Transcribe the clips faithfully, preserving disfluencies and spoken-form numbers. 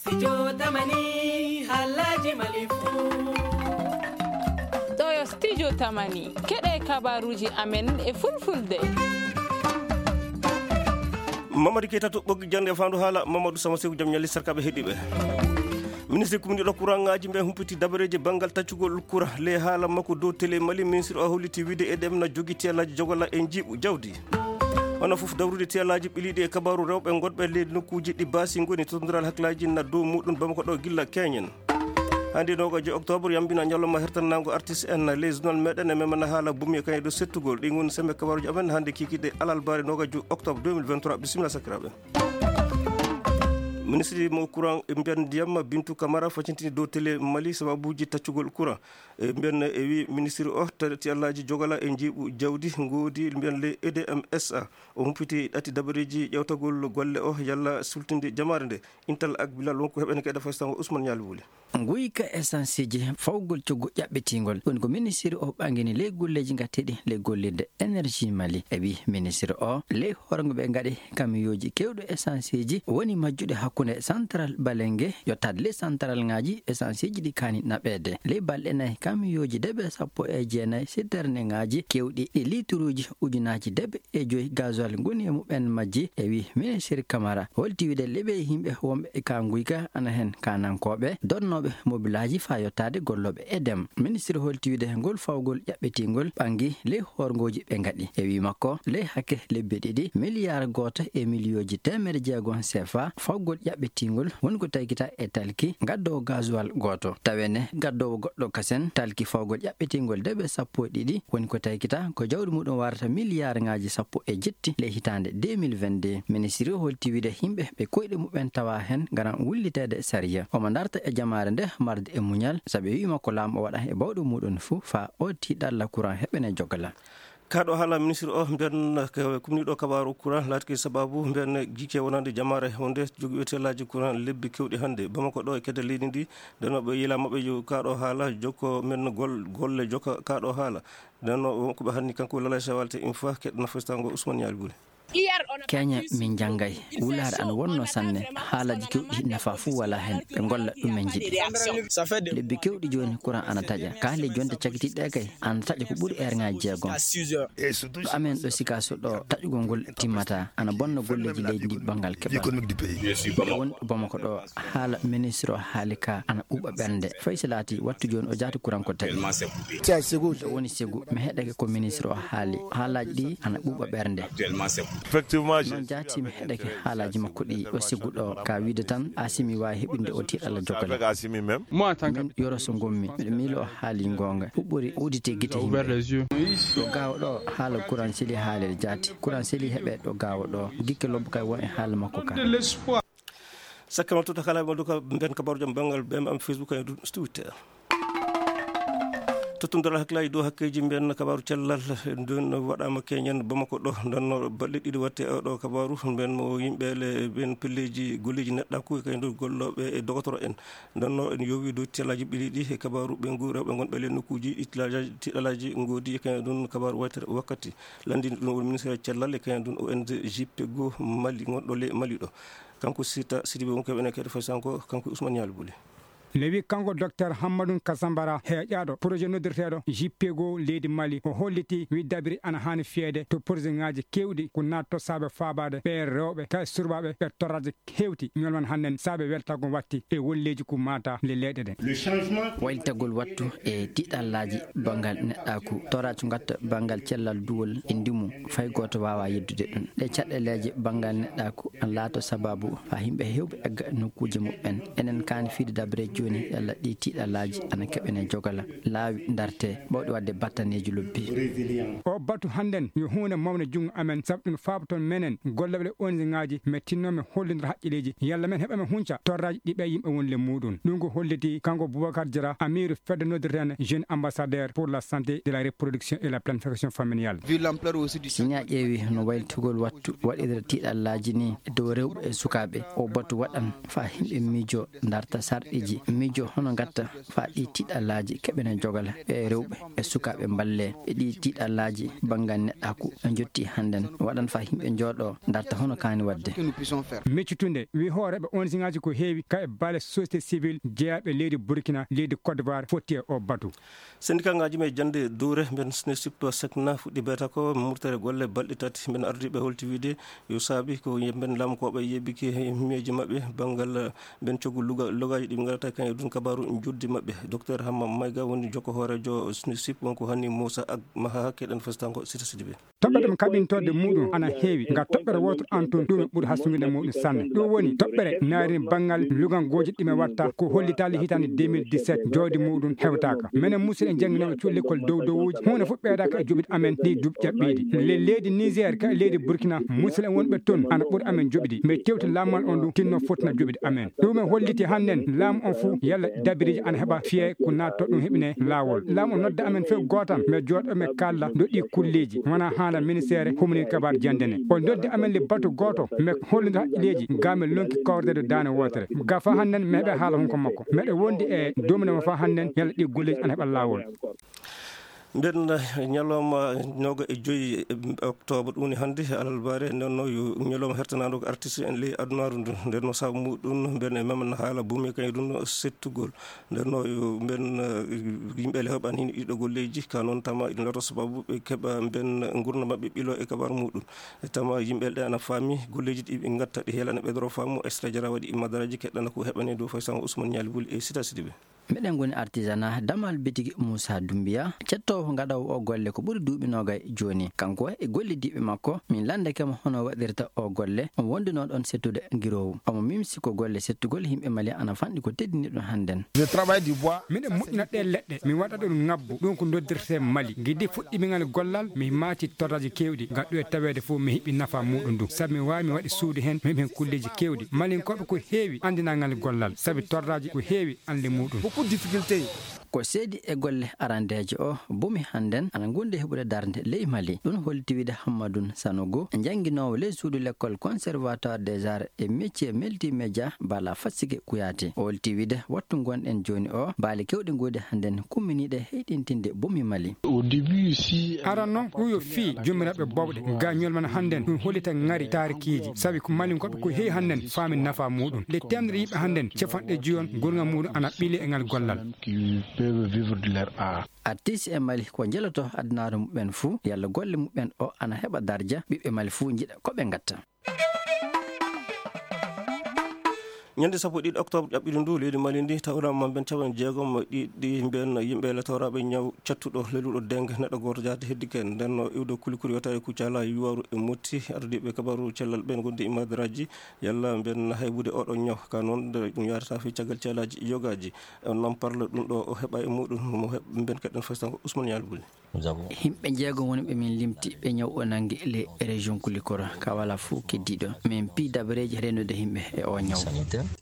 Studio Tamani, haalaaji Mali fuu. Ɗo yo Studio Tamani, keɗe kabaruuji amen e fulfulde. Mamadi Keita to ɓoggi jannde faandu haala, Mamadou Sama Seku jam ñalli sarkaaɓe heɗiiɓe. Ministre kumniiɗo kuraŋaaji ɓe humpiti dabareeji banngal taccugol kura. Ley haala makko dow tele Mali, ministre o holliti wiide E D M na jogi tiyalaaji jogola e njiiɓu jawdi. Hono fof dawrude tiyalaaji ɓiliiɗi e kabaaru rewɓe gonɓe ley nokkuuji ɗi baasi ngoni, totondiral hakkilaaji na dow muɗum Bamako ɗo gilla keñen. Hannde noogajo octobre yambina ñalawma hertannaango artiste en. Ley journal meɗen e memana haala bumi e kañum e dow settugol. Ɗi ngoni sembe kabaaruji amen hannde kikiɗe alarbaare noogajo octobre deux mille vingt-trois. Bisimilla sakiraaɓe. Ministre mo courant e mbiyan ndiyam Bintu Camara facintini dow tele Mali sababuji taccugol courant. E mbiyan e wi ministre o tati allaji jogala e njiiɓu jawdi ngoodi mbiyan le E D M S A. O humpiti ɗati dabareji ƴewtagol golle o yalla sultinde jamaare nde. Intal ak Bilal wonko heɓen kayɗa fastango Ousmane Ñaali Wuli. Nguyka essence ji fawgol coggu ƴaɓɓitingol woni ko ministre o ɓangini ley golleji gatteɗi ley gollirde énergie Mali. E wi ministre o ley hoorgo ɓe gaɗi kamiyoji kewɗo essence ji woni majjuɗe hakkunde central Balenge yottade ley central ngaji essence ji ɗi kani naɓede. Ley balɗe nayi kamiyoji debe sappo e jeenayi citerne ngaji kewɗi ɗi lituruji ujunaji debe e joyi gasoil ngoni e muɓen majji. E wi ministre Camara holti wiide leɓe yimɓe wonɓe e ka nguyka ana hen kanankoɓe donnoɓe mobilaji fa yottade golloɓe E D M. Ministre holti wiide ngol fawgol ƴaɓɓitingol ɓangi ley horgoji ɓe gaɗi. E wi makko ley hakke lebbi ɗiɗi miliyar goto e miliyoji teemere jeegom C F A fawgol ƴaɓɓitingol woni ko taykita e talki gaddowo gasoil goto. Tawene gaddowo goɗɗo kasen talki fawgol ƴaɓɓitingol debe sappo e ɗiɗi woni ko taykita ko jawdi muɗum warata miliyar ngaji sappo e jetti ley hitande deux mille vingt-deux. Ministre o holti wiide yimɓe ɓe koyɗe muɓen tawa hen garan wullitede sariya. Omo darta e jamaare nde marde e muñal saabe wima ko laamu o waɗa e bawɗo muɗum fuu fa o tiɗalla courant heɓene jogala. Kaɗo haala ministre o mbiyan kumniɗo kabaru courant laatiki sababu mbiyan gike wonande jamaare hunde jogi wetelaji courant lebbi kewɗi hannde Bamako ɗo e kedde leydi ndi. Nden ɓe yila maɓɓe yo kaɗo haala jokko men gol golle jokka kaɗo haala. Nden ko ɓe hanni kanko lalay sawalte infa keɗɗo nafastango Ousmane Ñaali Buri. Kenya min janngay wulaare ana wonno sanne. Haalaji kewɗi nafa fuu wala hen ɓe golla ɗum men jiɗi. Lebbi kewɗi jooni courant ana taƴa kaali jonte cagitiɗɗe kay ana taƴa ko ɓuri erŋaaji jeegom. Ɗo amen ɗo sikaso ɗo taƴugol ngol timmata ana bonna golleji leydi ndi banngal keɓal. Won bamako ɗo haala ministre o haali ka ana ɓuuɓa ɓernde fay so laati wattu jooni o jaati courant ko taƴi. Ɗo woni segu mi heɗake ko ministre o haali haalaji ɗi ana ɓuuɓa ɓernde. Noon jaati mi heɗake haalaji makko ɗi ɗo segu ɗo ka wiide tan asimi wawi heɓinde o tiɗalla jogale. Min yoro so gommi miɗo miilo o haali gonga huɓɓori udite gite himɓe. Ɗo gawa ɗo haala courant seli haalede jaati courant seli heɓe ɗo gawa ɗo gikke lobbo kay won e haala makko ka. Sakkama tuta kala mo duka ben kabaru jam bangal bem am Facebook ay du Twitter. Tottundal hakkilaaji dow hakkeeji mbiyan kabaru cellal ndun waɗaama keñen Bamako ɗo ndanno balle ɗiɗi watte oɗo kabaru mbiyan mo yimɓe le ben pelleji golleji neɗɗaku e kay ndu golloɓe e dogotoro en. Ndanno en yowi dow tiɗalaji ɓiɗi ɗi e kabaru ɓe ngu rewɓe gonɓe le nokkuji tiɗalaji ngoodi e kay ndun kabaru waytere wakkati. Landini ɗum woni ministre cellal e kay ndun O N G Pego Mali gonɗo le Mali ɗo. Kanko Sita Sidibe wonko ɓene kadi fay sanko kanko Ousmane Ñaali Buli. Lewi kanko docteur Hammadou Kasambara heƴaɗo projet noddirteɗo J P G O leydi Mali o holliti wi dabiri ana hani fiyede to projet ngaji kewɗi ko natto saabe fabade ɓe rewɓe ka surbaɓe ɓe torraji hewti ñolman hannden saabe weltagol watti e wolleji ko mata le leyɗe ɗe. Waylitagol wattu e tiɗallaji bangal neɗɗaku toraji gatta bangal cellal duwol e ndimu fay goto wawa yeddude ɗum ɗe caɗɗeleje bangal neɗɗaku. Laato sababu haa yimɓe heewɓe egga nokkuuje muɓɓen. Enen kaani fiyde dabareeji jooni yalla ɗii tiiɗalaaji ana keɓene jogala laawi ndarte ɓawɗi waɗde battaneeji lobbi. O batu hannden yo huunde mawnde junngo amen sabu ɗum faaboton menen gollooɓe ɗe O N G ngaaji mettinno men hollindira haqqilleeji yalla men heɓa men hunca torraaji ɗi ɓe yimɓe woni le muuɗum. Ɗum ko holliti kanko Boubacar Diarra amiiru fedde noddirteende jeune ambassadeur pour la santé de la reproduction et la planification familiale. Si ñaa ƴeewi no waylitugol wattu waɗirde tiiɗallaaji nii e dow rewɓe e sukaaɓe, oo batu waɗan faa yimɓe miijoo ndarta sarɗiiji miijo hono ngatta faa ɗi tiiɗalaaji keɓene jogala e rewɓe e sukaaɓe mballe e ɗi tiiɗalaaji banngal neɗɗaaku e njotti hannden waɗan faa yimɓe njooɗo darta hono kaani waɗde. Miccutunde wi hooreeɓe O N G ŋaaji ko heewi ka e baale société civile jeyaaɓe leydi Burkina, leydi Côte d'Ivoire fotti e o batu. Sendikaaji men jannde duure mben snesip sekna fuɗɗi beeta ko murtere golle balɗe tati mben ardiiɓe holti wiide yo saabi ko mben laamkooɓe yeɓike miyeeji maɓɓe banngal mben coggu logaaji ɗi ɓe ngarata kan e ɗum kabaaru juddi maɓɓe. Docteur Hamma Mayga woni jokko hooreejo snesip wonko hanni Moussa ak Maha keɗen festango sita sidi ɓe. Toɓɓere ɗum kaɓintoode muuɗum ana heewi, ngam toɓɓere wootere an toon ɗum e ɓuri hastungude muuɗum sanne. Ɗum woni toɓɓere naarin banngal lugangooji ɗi men watta ko hollitaali hitaande deux mille dix-sept, jooɗi muuɗum hewtaaka. Menen musidɓe jannginooɓe cuuɗi lekkol dow dowuuji, huunde fof ɓeydaaka e joɓiɗi amen ɗi duuɓi ƴaɓɓiiɗi. Le leydi Niger ka e leydi Burkina, musidɓe wonɓe toon ana ɓuri amen joɓiɗi. Mais tewti laamal on ɗum tinno fottina joɓiɗi amen. Ɗum en holliti hannden laamu on fof yalla dabiriji ana heɓa fiye ko naatto ɗum heɓine laawol. Laamu on nodda amen fof gootan, mais jooɗo men kalla doɗɗi kulleeji wona haala ministère humni kabar jandene. O noddi amen le batu gooto, mais hollude haqqileeji ga men lonki kawrede daane wootere. Ga fa hannden mi heɓe haala hunko makko. Meɗe wondi e domine mo fa hannden yalla ɗi golleeji ana heɓa laawol. Nden ñalawma noga e joyi octobre ɗum woni hannde alalbaare. Nden no yo ñalawma hertanaɗo ko artiste en ley adunaaru ndu. Nden no sabu muɗum nden e memen haala bumi kay ɗum settugol. Nden no yo mben yimɓe le heɓan hin ɗiɗo golleeji ka noon tama ɗum lato sababu ɓe keɓa mben ngurna maɓɓe ɓilo e kabar muɗum. E tama yimɓe ɗe ana faami golleeji ɗi ɓe ngatta ɗi heelana ɓe doro faamu extra jara waɗi madaraji keɗɗana ko heɓani dow fay sango Ousmane Ñaali Buli e Sita Sidibe. Meɗen ngoni artisanat damal bitigi Moussa Doumbia, cettoowo ngaɗoowo o golle ko ɓuri duuɓi noogay jooni. Kanko e gollidiiɓe makko, min lanndake mo hono waɗirta o golle. Omo wonduno ɗon settude giroowu. Omo mimsi ko golle settugol yimɓe Mali ana fanɗi ko teddini ɗum hannden. Miɗen moƴƴina ɗee leɗɗe, mi waɗa ɗum ŋabbu. Ɗum ko noddirtee Mali. Gidi fuɗɗimingal gollal, mi maati torraji keewɗi. Ngam ɗum e taweede fof mi heɓi nafa muuɗum ndu. Sabu mi waawi mi waɗi suudu heen, mi heɓi heen kulleeji keewɗi. Malinkooɓe ko heewi anndinangal gollal. Sabu torraji ko heewi anle muuɗum. Beaucoup de difficultés. Ko seedi e golle arandeeje o bumi hannden ana ngundi heɓude darnde ley Mali. Ɗum holti wiide Hammadun Sanogo, jannginoowo ley suudu lekkol Conservatoire des Arts et Métiers Multimédia Bala Fassige Kouyaté. O holti wiide wattu ngonɗen jooni o, baali keewɗi ngoodi hannden kumminiiɗe heyɗintinde bumi Mali. Au début aussi, aran noon ɗum yo fii jommiraaɓe bowɗe ga ñolman hannden ɗum hollita ŋari taarikiiji. Sabi ko Malinkooɓe ko heewi hannden faami nafa muuɗum. Nde teemnere yimɓe hannden capanɗe joyon gurnga muuɗum ana ɓili e ngal gollal. Qui peuvent vivre de leur art. Artiste e Mali ko njeloto adunaaru muɓɓen fuu, yalla golle muɓɓen o ana heɓa darja, ɓiɓɓe Mali fuu njiɗa ko ɓe ngatta. Ñande sappo e ɗiɗi octobre ƴaɓɓiɗo ndu, leydi Mali ndi tawrama mben capanɗe jeegom e ɗiɗi mben yimɓe le tawraɓe ñaw cattuɗo leluɗo dengue neɗɗo goto jaati heddi ken. Nden no iwde kulikuli wiyata e Kucala, Yuwaru e Motti, ardiɓe kabaru cellal ɓen gonde e madaraji yalla mben haybude oɗo ñaw ka noon nde ɗum yarata fi caggal ceelaji yogaji. On nan parle ɗum ɗo o heɓa e muɗum mo heɓ mben keɗen faysan ko Ousmane Yalbuli. Yimɓe jeegom woni ɓe min limti ɓe ñaw o nanngi e ley région Kulikoro ka wala fof keddiiɗo. Min pii dabareeji rennude yimɓe e o ñaw.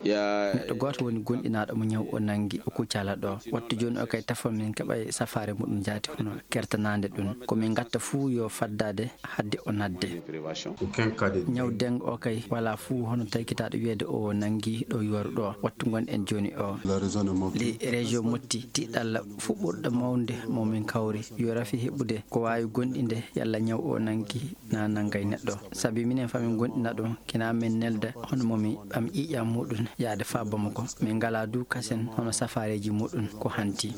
Neɗɗo gooto woni gonɗinaaɗo mo ñaw o nanngi o Kucala ɗo. Wattu jooni o kay tafon min keɓa e safaare muɗum jaati hono kertanaande ɗum. Ko min ngatta fuu yo faddaade hadde o nadde. Ñaw deng o kay wala fuu hono taykitaaɗo wiyeede o nanngi ɗo yoru ɗo. Wattu ngon en jooni o. Ley région Motti tiiɗalla fuɓɓorɗo mawnde mo min kawri yo rafi heɓude ko waawi gonɗinde yalla ñaw o nangi na nangay neɗɗo. Sabi minen fa min gonɗina ɗum kina min nelda hono mo mi ɓam ƴiiƴam muɗum yaade fa Bamako. Min ngala du kasen hono safareeji muɗum ko hanti.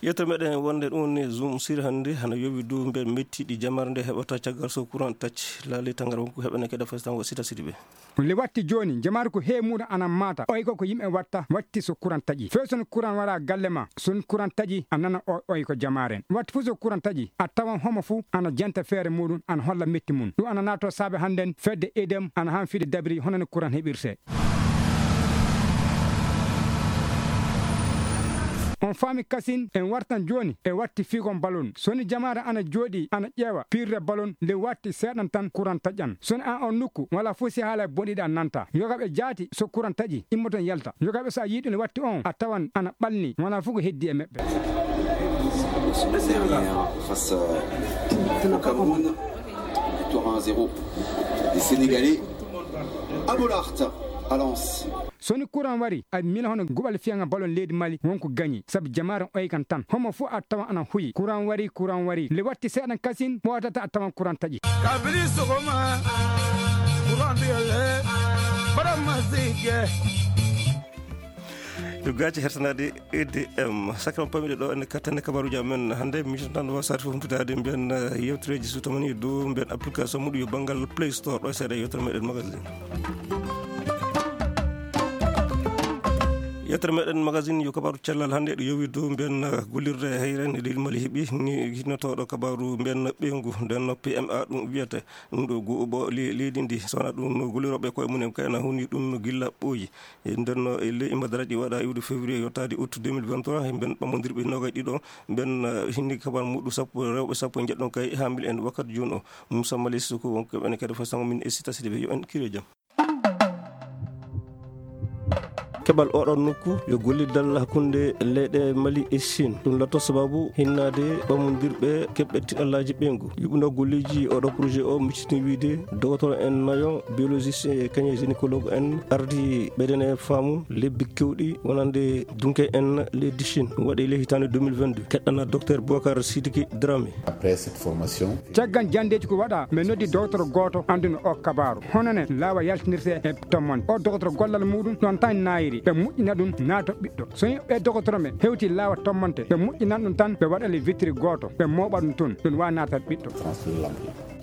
Yetto meɗen wonde ɗum ni zoom sir hannde hana yowi du mbe mettiɗi jamar nde heɓata caggal so courant tacci laali tangar wonko heɓene keɗa fasitan wo sita sidi ɓe. Le watti jooni jamaare ko heewi muɗum ana maata oy ko ko yimɓe watta watti so kuran taƴi few son kuran wara galle ma son kuran taƴi a nana o oy ko jamaaren watti fof so kuran taƴi a tawan homo fof ana janta feere muɗum ana holla metti mum ɗum ana naato saabe hannden fedde edem ana han fiide dabiri honano kuran heɓirte. On faami kasin en wartan jooni e watti fiigon balon soni jamaare ana jooɗi ana ƴeewa pirre balon nde watti seeɗan tan kuran taƴan soni an on nokku wala fof si haala e bonɗiɗe a nanta yogaɓe jaati so kuran taƴi immoton yalta yogaɓe so a yiɗum watti on a tawan ana ɓalni wala fof ko heddi e meɓɓe. Face au Cameroun, victoire un zéro des Sénégalais à Bollaert, à Lens. So ni kuran wari, a mila hono guɓal fiyanga balon leydi Mali, wonko gañi. Sabu jamaare on oykan tan. Homo fu a tawan ana huyi. Kuran wari, kuran wari. Le watti seeɗan kasin, ɓootata a tawan kuran taƴi. Kabili sogoma, kuran biyele, bara masike. Yo gaaci hertanaade E D M. Sakram pamiɗe ɗo ene kattane kabaruji amen. Hannde mi tan wasat fof humtudaade mbiyen, eh, yewtereeji so tamani dow mbiyen application muɗum yo banngal Play Store ɗo seeɗa yewtere meɗen magazine. Yewtere meɗen magazine yo kabaru cellal hannde ɗo yowi dow mbiyen, eh, gollirde hayre nde leydi Mali heɓi ni hinnotoɗo kabaru mbiyen ɓeyngu nden no P M A ɗum wiyete. Ɗum ɗo go-, bo le-, leydi ndi sona ɗum no golliroɓe koye mumen kayna huni ɗum no gilla ɓooyi. E nden no e ley imadaraji waɗa iwde février yottaade août deux mille vingt-trois, e mben ɓammondirɓe noogay ɗiɗo, mben, eh, hinni kabar muɗum sappo, rewɓe sappo e njeɗɗon kay e hamil en wakkat jun o. Moussa Mali Sissoko wonko ɓen kadi fo sango min e sita sidi ɓe yo en kire jam. Keɓal oɗon nokku yo gollidal hakkunde leyɗe Mali e Chine. Ɗum latto sababu hinnaade ɓammondirɓe keɓɓe tiɗallaaji ɓeyngu. Yuɓɓuno golleeji oɗo projet o miccitini wiide dogotoro en nayo, biologiste e kañe gynécologue en ardi ɓeyden e faamu lebbi kewɗi wonande dunke en leydi Chine. Ɗum waɗi le hitaande deux mille vingt-deux. Keɗɗana docteur Boubacar Sidiki Dramé. Après cette formation, caggal janndeeji ko waɗa, min noddi dogotoro gooto annduno o kabaaru. Hono ne laawa yaltinirte e tommonde. O dogotoro gollal muɗum ɗon tan naayiri. Ɓe moƴƴina ɗum naata ɓiɗɗo. So yimɓe dogotoro ɓe hewti laawa tommonte, ɓe moƴƴinan ɗum tan, ɓe waɗa le witiri gooto, ɓe mooɓa ɗum toon. Ɗum waawa naata ɓiɗɗo.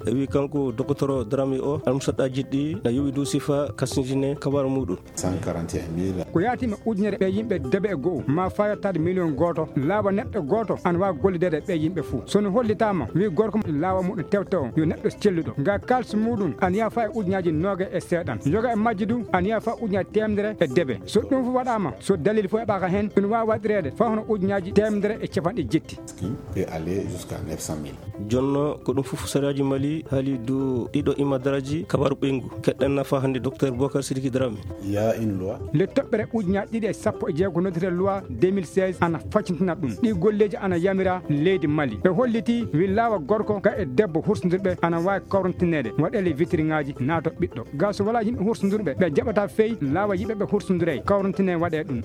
E wi kanko dogotoro Dramé o, almusaɗɗaaji ɗi na yowi dow sifa kasnjine kabaaru muɗum. Cent quarante et un mille. Ko yaatima ujunere ɓe yimɓe debe e go'o, ma faa yottaade miliyon gooto, laawa neɗɗo gooto ana waawi gollideede ɓe yimɓe fuu. So no hollitaama, wi gorko mo laawa muɗum tewte on, yo neɗɗo celluɗo. Nga kaalis muɗum ana yaha faa e ujunnaaji nooga e seeɗan. Yoga e majji du ana yaha faa ujunnaaji teemedere e debe. So ɗum fof waɗaama, so dalil fof heɓaaka heen, ɗum waawi waɗireede faa hono ujunnaaji teemedere e capanɗe jetti. Qui peut aller jusqu'à neuf cent mille. Jonno ko ɗum fof sariyaaji Mali haali dow ɗiɗo imadaraaji kabaaru ɓeyngu. Keɗɗen nafa hannde docteur Boubacar Sidiki Dramé. Il y a une loi. Le toɓɓere ujunnaaji ɗiɗi e sappo e jeego noddete loi deux mille seize ana faccintina ɗum. Ɗi golleeji ana yamira leydi Mali. Ɓe holliti wi laawa gorko ga e debbo hursondirɓe ana waawi kawrantineede waɗeele witiriŋaaji naato ɓiɗɗo. Ga so walaa yimɓe hursondirɓe ɓe jaɓata fey laawa yimɓe ɓe hursondirey kawrantine waɗee ɗum.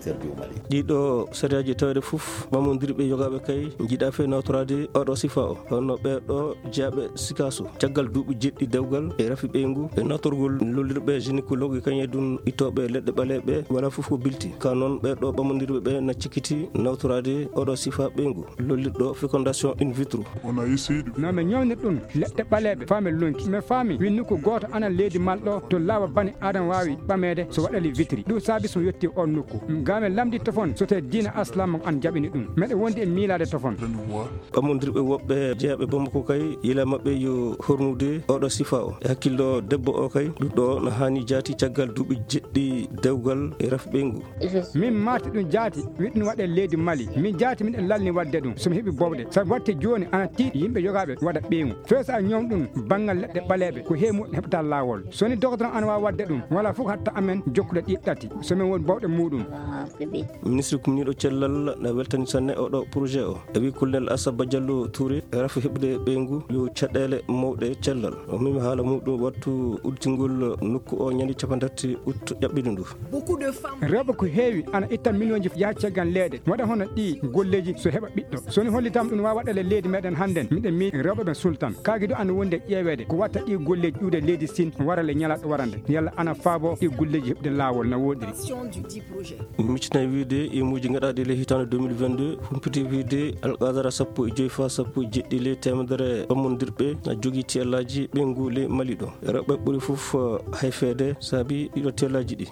Ɗiɗo sariyaaji tawde fof ɓammondirɓe yogaaɓe kay njiɗa fey nawtoraade oɗo sifa o. Hono ɓee ɗo jeyaaɓe Sikaso, caggal duuɓi jeɗɗi dewgal e rafi ɓeyngu e nawtorgol lollirɓe gynécologue e kañe ɗum ittooɓe leɗɗe ɓaleeɓe, wala fof ko bilti. Ka noon ɓee ɗo ɓammondirɓe ɓe na cikkiti nawtoraade oɗo sifa ɓeyngu, lollirɗo fécondation in vitro. No mi ñawnir ɗum leɗɗe ɓaleeɓe faa mi lonki. Mi faami wi nokku gooto ana leydi Mali ɗo to laawa bani Aadama waawi ɓameede so waɗali witiri. Ɗum saabi so mi yetti on nokku. Ga mi lamndi tofon so tee diina Aslam an jaɓini ɗum. Meɗe wondi e miilaade tofon. Ɓammondirɓe woɓɓe jeyaaɓe Bamako kay, yila maɓɓe yo hornude oɗo sifa o. E hakkillo debbo o kay, ɗuɗɗo o no haani jaati caggal duuɓi jeɗɗi dewgal e rafi ɓeyngu. Min maati ɗum jaati, wi ɗum waɗe leydi Mali. Min jaati miɗen lalni waɗde ɗum, so mi heɓi bowɗe. Sabu waɗte jooni ana tiiɗi yimɓe yogaaɓe waɗa ɓeyngu. Fee so a ñawn ɗum banngal leɗɗe ɓaleeɓe, ko heewi muɗum heɓata laawol. So ni dogotoro ana waawi waɗde ɗum, wala fof hatta amen jokkude ɗi ɗati. So min woni bowɗe muɗum. Ministre kumniiɗo cellal na weltani sanne oɗo projet o. E wi Colonel Assaba Diallo Touré, rafi heɓde ɓeyngu yo caɗeele mawɗe cellal. O memi haala muɗum wattu udditingol nokku o ñande capantati août ƴaɓɓiɗo ndu. Rewɓe ko heewi ana itta miliyonji yaha caggal leyɗe, waɗa hono ɗi golleeji so heɓa ɓiɗɗo. So ni hollitaama ɗum waawa waɗale leydi meɗen hannden, miɗen miiji rewɓe ɓen sultan. Kaagi du ana wondi e ƴeeweede ko watta ɗi golleeji iwde leydi Siin wara le ñalaaɗo warande. Yalla ana faabo ɗi golleeji heɓde laawol na woodiri. Miccitana wiide imuuji gaɗaaɗi le hitaande deux mille vingt-deux, humpiti wiide alqadara sappo e joy faa sappo e jeɗɗi le teemedere ɓammondirɓe na jogii tiyallaaji ɓeyngu le Mali ɗo. Rewɓe ɓuri fof, eh, hayfeede saabi ɗiɗo tiyallaaji ɗi.